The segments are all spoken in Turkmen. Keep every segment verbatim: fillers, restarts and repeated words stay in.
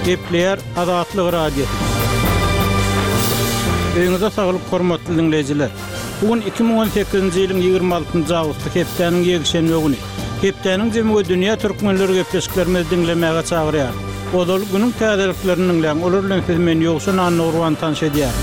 Gepleýär Azatlyk Radiosy. Öýüňize saglyk hormatly diňleýjiler. Bu gün iki müň on sekizinji ýylyň ýigrimi altynjy awgusty hepdäniň ýekşenbe güni. Hepdäniň jemi we dünýä türkmenleri gepleşiklerimizi diňlemäge çagyrýar. Ozal günüň täzeliklerini diňläň, olar bilen siz men Ýowşan Annagurban tanyş edýär.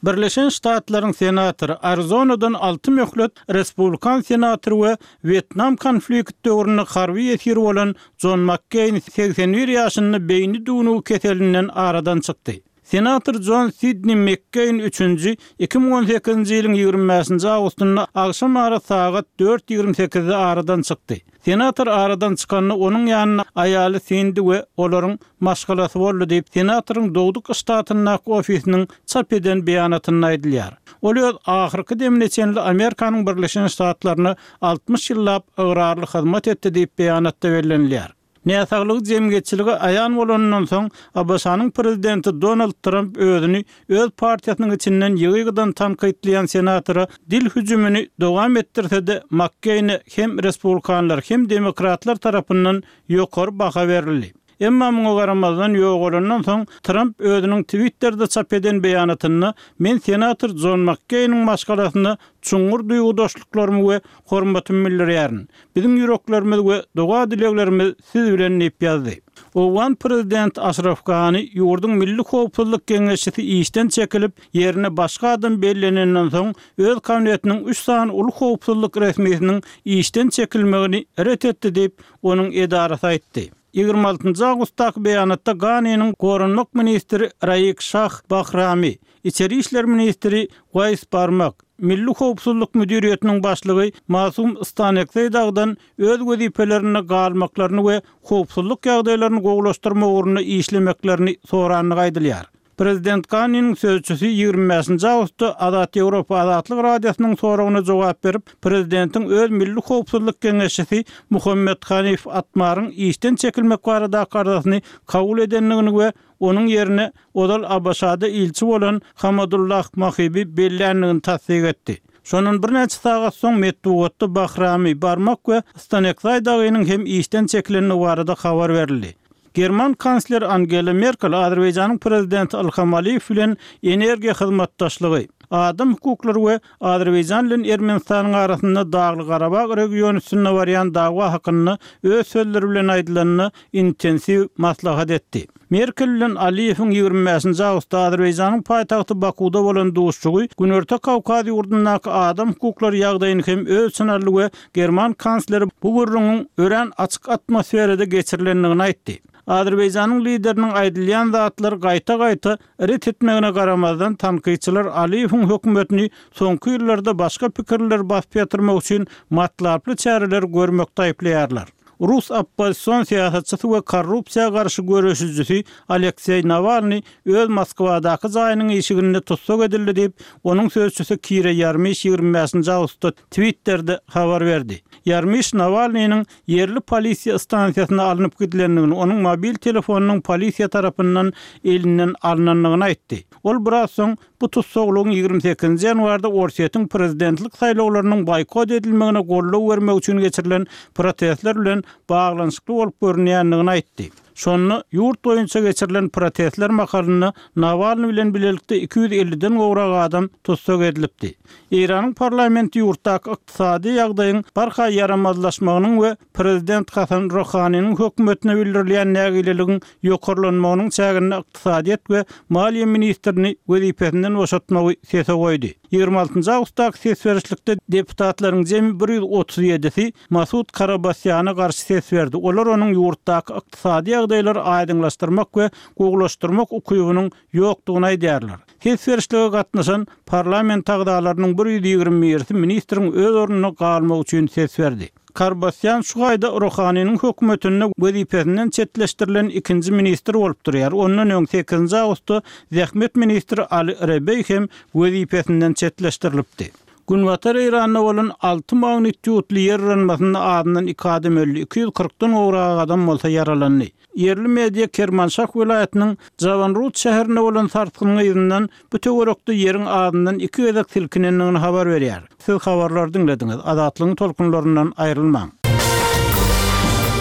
Birleşen Ştatlaryň senatory Arizonadan alty möhlet respublikan senatory we Wýetnam konflikt döwründe harby ýesir bolan Jon Makkeýn segsen bir ýaşynda beýni düwnügi keselinden aradan çykdy. Senator Jon Sidni Mekkeýn üçünji iki müň on sekizinji ýylyň ýigrimi bäşinji awgustynda agşam ara sagat dört ýigrimi sekizde aradan çykdy. Senator aradan çykanda onuň ýanynda aýaly Sindi we olaryň maşgalasy boldy diýip, senatoryň dogduk ştatyndaky ofisiniň çap eden beýanatynda aýdylýar. Ol öz ahyrky demine çenli Amerikanyň Birleşen Ştatlaryna altmyş ýyllap ygrarly hyzmat etdi diýip beýanatda bellenilýär. Näsaglygy jemgyýetçiligi aýan bolanyndan soň A B Ş-nyň prezidenti Donald Trump özüni öz partiýasynyň içinden ýygy-ýygydan tankytlaýan senatora dil hüjümini dowam etdirse-de Makkeýne hem respublikanlar hem demokratlar tarapyndan ýokary baha berildi. Emma muňa garamazdan ýogalandan soň Trump özüniň Twitter'de çap eden beýanatynda men senator Jon Makkeýniň maşgalasyna çuňňur duýgudaşlyklarymy we hormatymy bildirýärin. Biziň ýüreklerimiz we doga dileglerimiz siz bilen diýip ýazdy. Owgan prezident Aşraf Gani ýurduň Milli Howpsuzlyk Geňeşisi işden çekilip, ýerine başga adam bellenenden soň öz kabinetiniň üç sany uly howpsuzlyk resmisiniň işden çekilmegini ret etdi diýip, onuň edarasy aýtdy. Ýigrimi altynjy awgustdaky beýanatda Ganiniň Goranmak ministri Raik Şah Bahrami, İçeri İşler ministri Waýs Barmak, Milli Howpsuzlyk Müdiriýetiniň başlygy Masum Stanekzeý dagdan öz wezipelerinde galmaklaryny we howpsuzlyk ýagdaýlaryny gowulaşdyrmak ugrunda işlemeklerini sorandygy aýdylýar. Prezident Ganiniň sözçüsi ýigrimi bäşinji awgustda Azat Ýewropa Azatlyk Radiosynyň soragyna jogap berip, prezidentiň öz Milli Howpsuzlyk Geňeşçisi Muhammed Hanif Atmaryň işden çekilmek baradaky arzasyny kabul edendigini we onuň ýerine ozal A B Ş-da ilçi bolan Hamadullah Mahibi belländigini tassyk etdi. Şondan birnäçe sagat soň metbugatda Bahrami, Barmak we Stanekzay dagynyň hem işden çekilendigi barada habar berildi. German kansler Angela Merkel Azerbaýjanyň prezidenti Ilham Aliýew bilen energiýa hyzmatdaşlygy, adam hukuklary we Azerbaýjan bilen Ermenistanyň arasynda Dagly Garabag regiony üstünde barýan dawa hakynda öz sözleri bilen aýdylanda intensiw maslahat etdi. Merkel bilen Aliýewiň ýigrimi bäşinji awgustda Azerbaýjanyň paýtagty Bakuda bolan duşuşygy Günorta Kawkaz ýurdundaky adam hukuklary ýagdaýyny hem öz içine aldy we German kansleri bu gürrüňiň örän açyk atmosferada geçirilendigini aýtdy. Azerbaýjanyň lideriniň aýdylýan zatlar gaýta-gaýta ret etmegine garamazdan tankytçylar Aliýewiň hökümetini soňky ýyllarda başga pikirler basyp ýatyrmak üçin matlaply çäreler görmekde aýyplaýarlar. Rus oppozision syýasatçysy we korrupsiýa garşy göreşijisi Alekseý Nawalny öz Moskwadaky jaýynyň işiginde tussag edildi diýip, onuň sözçüsi Kira Ýarmiş ýigrimi bäşinji awgustda Twitter'de habar berdi. Ýarmiş Nawalnynyň ýerli polisiýa stansiýasyna alnyp gidilendigini, onuň mobil telefonynyň polisiýa tarapyndan elinden alnandygyny aýtdy. Ol biraz soň bu tussaglygyň ýigrimi sekizinji ýanwarda Orsýetiň prezidentlik saýlawlarynyň boýkot edilmegine goldaw bermek üçin geçirilen protestler bilen baglanyşykly bolup görünýändigini aýtdy. Şonda ýurt boýunça geçirilen protestler mahalynda Nawalny bilen bilelikde iki ýüz elliden gowrak adam tussag edilipdi. Eýranyň parlamenti ýurtdaky ykdysady ýagdaýyň barha ýaramazlaşmagynyň we prezident Hasan Ruhaniniň hökümetine bildirilýän nägileligiň ýokarlanmagynyň çäginde ykdysadyýet we maliýe ministrini wezipesinden boşatmagy sese goýdy. Ýigrimi altynjy awgustdaky ses berişlikde deputatlaryň jemi bir ýüz otuz ýedisi Masud Karabasýana garşy ses berdi. Olar onuň ýurtdaky ykdysady ýagdaýlary aýdyňlaşdyrmak we gowulaşdyrmak ukybynyň ýokdugyny aýdýarlar. Ses berişlige gatnaşan parlament agzalarynyň bir ýüz ýigrimi birisi ministriň öz ornuna galmak üçin ses berdi. Karbasýan şu aýda Ruhaniniň hökümetinde wezipesinden çetleşdirilen ikinji ministr bolup durýar. Ondan öň sekizinji awgustda Zähmet ministri Ali Rebeý hem wezipesinden çetleşdirilipdi. Günbatar Eýranda bolan alty magnitudly ýer yranmasynda azyndan iki adam öldi, iki ýüz kyrkdan gowrak adam bolsa ýaralandy. Ýerli media Kermanşah welaýatynyň Jawanrud şäherinde bolan sarsgynyň yzyndan bu töwerekde ýeriň azyndan iki gezek silkinendigini habar berýär. Siz habarlary diňlediňiz. Azatlygyň tolkunlaryndan aýrylmaň.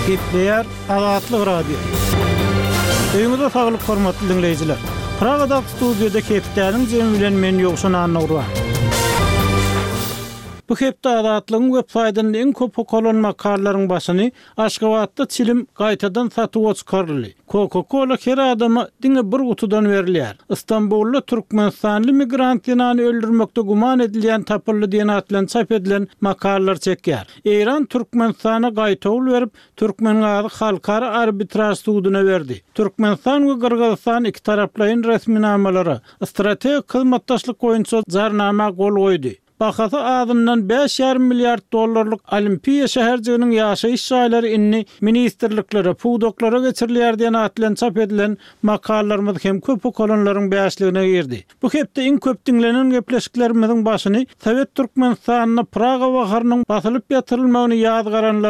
Gepleýär Azatlyk Radiosy. Öýüňize saglyk hormatly diňleýjiler. Pragadaky studiýada hepdäniň jemi bilen men Ýowşan Annagurban. Bu hepde Azatlygyň web saýtynda iň köp okalan makalalaryň başyny Aşgabatda çilim gaýtadan satuwa çykaryldy. Coca-Cola her adama diňe bir gutudan berilýär. Istanbulda Türkmenistanly migrant zenany öldürmekde güman edilýän tapyldy diýen at bilen çap edilen makalalar çekýär. Eýran Türkmenistana gaýtawul berip, Türkmengazy halkara arbitraž suduna berdi. Türkmenistan we Gyrgyzystan iki taraplaýyn resminamalara, strategik hyzmatdaşlyk boýunça jarnama gol goýdy. Bahasy azyndan bäş ýarym milliard dollarlyk Olimpiýa şäherjiginiň ýaşaýyş jaýlary indi ministrliklere, pudaklara geçirilýär diýen at bilen çap edilen makalalarymyz hem köp okalanlaryň bäşligine girdi. Bu hepde iň köp diňlenen gepleşiklerimiziň başyny Sowet Türkmenistanynda Praga baharynyň basylyp ýatyrylmagyny ýazgaranlar